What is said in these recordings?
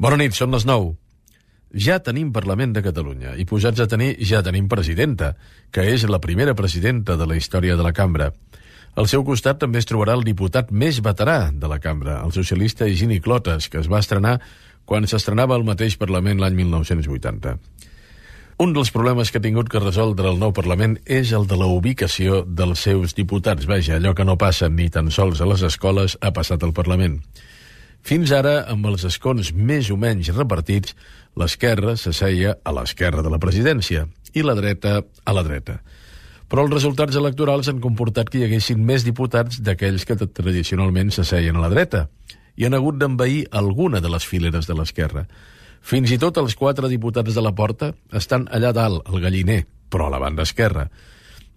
Bona nit, són les 9. Ja tenim Parlament de Catalunya i posats a tenir ja tenim presidenta, que és la primera presidenta de la història de la cambra. Al seu costat també es trobarà el diputat més veterà de la cambra, el socialista Higini Clotas, que es va estrenar quan s'estrenava el mateix Parlament l'any 1980. Un dels problemes que ha tingut que resoldre el nou Parlament és el de la ubicació dels seus diputats. Vaja, allò que no passa ni tan sols a les escoles ha passat al Parlament. Fins ara, amb els escons més o menys repartits, l'esquerra s'asseia a l'esquerra de la presidència i la dreta a la dreta. Però els resultats electorals han comportat que hi haguessin més diputats d'aquells que tradicionalment s'asseien a la dreta i han hagut d'envair alguna de les fileres de l'esquerra. Fins i tot els 4 diputats de la porta estan allà dalt, al galliner, però a la banda esquerra.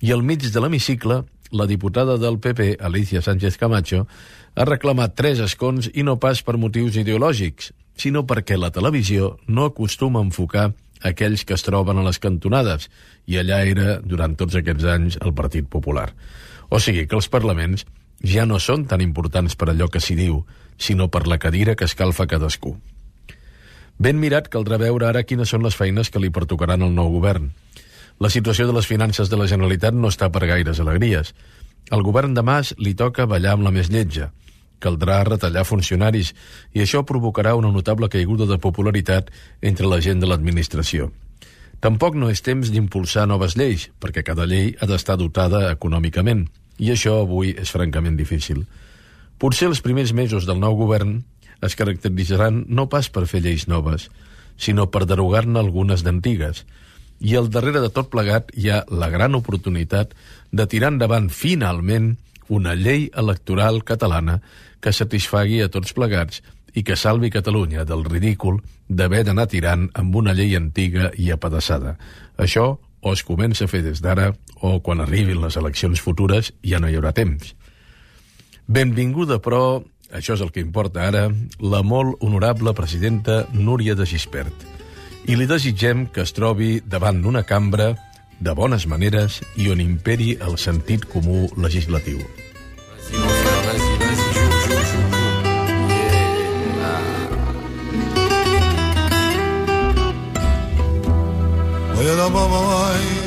I al mig de l'hemicicle, la diputada del PP, Alicia Sánchez Camacho, ha reclamat 3 escons i no pas per motius ideològics, sinó perquè la televisió no acostuma a enfocar aquells que es troben a les cantonades, i allà era, durant tots aquests anys, el Partit Popular. O sigui que els parlaments ja no són tan importants per allò que s'hi diu, sinó per la cadira que escalfa cadascú. Ben mirat caldrà veure ara quines són les feines que li pertocaran al nou govern. La situació de les finances de la Generalitat no està per gaires alegries. Al govern de Mas li toca ballar amb la més lletja. Caldrà retallar funcionaris i això provocarà una notable caiguda de popularitat entre la gent de l'administració. Tampoc no és temps d'impulsar noves lleis, perquè cada llei ha d'estar dotada econòmicament, i això avui és francament difícil. Potser els primers mesos del nou govern es caracteritzaran no pas per fer lleis noves, sinó per derogar-ne algunes d'antigues. I al darrere de tot plegat hi ha la gran oportunitat de tirar endavant finalment una llei electoral catalana que satisfagui a tots plegats i que salvi Catalunya del ridícul d'haver d'anar tirant amb una llei antiga i apedaçada. Això o es comença a fer des d'ara o quan arribin les eleccions futures ja no hi haurà temps. Benvinguda, però, això és el que importa ara, la molt honorable presidenta Núria de Gispert. I li desitgem que es trobi davant d'una cambra de bones maneres i on imperi el sentit comú legislatiu. Voy a la mamá.